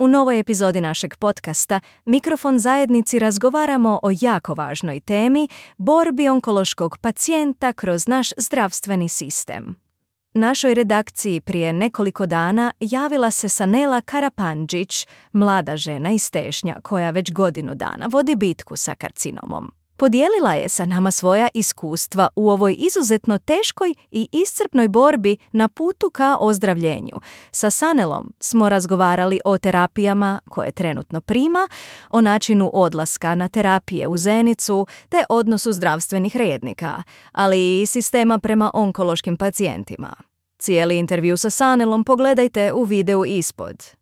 U novoj epizodi našeg podcasta Mikrofon zajednici razgovaramo o jako važnoj temi borbi onkološkog pacijenta kroz naš zdravstveni sistem. Našoj redakciji prije nekoliko dana javila se Sanela Karapandžić, mlada žena iz Tešnja koja već godinu dana vodi bitku sa karcinomom. Podijelila je sa nama svoja iskustva u ovoj izuzetno teškoj i iscrpnoj borbi na putu ka ozdravljenju. Sa Sanelom smo razgovarali o terapijama koje trenutno prima, o načinu odlaska na terapije u Zenicu te odnosu zdravstvenih rednika, ali i sistema prema onkološkim pacijentima. Cijeli intervju sa Sanelom pogledajte u videu ispod.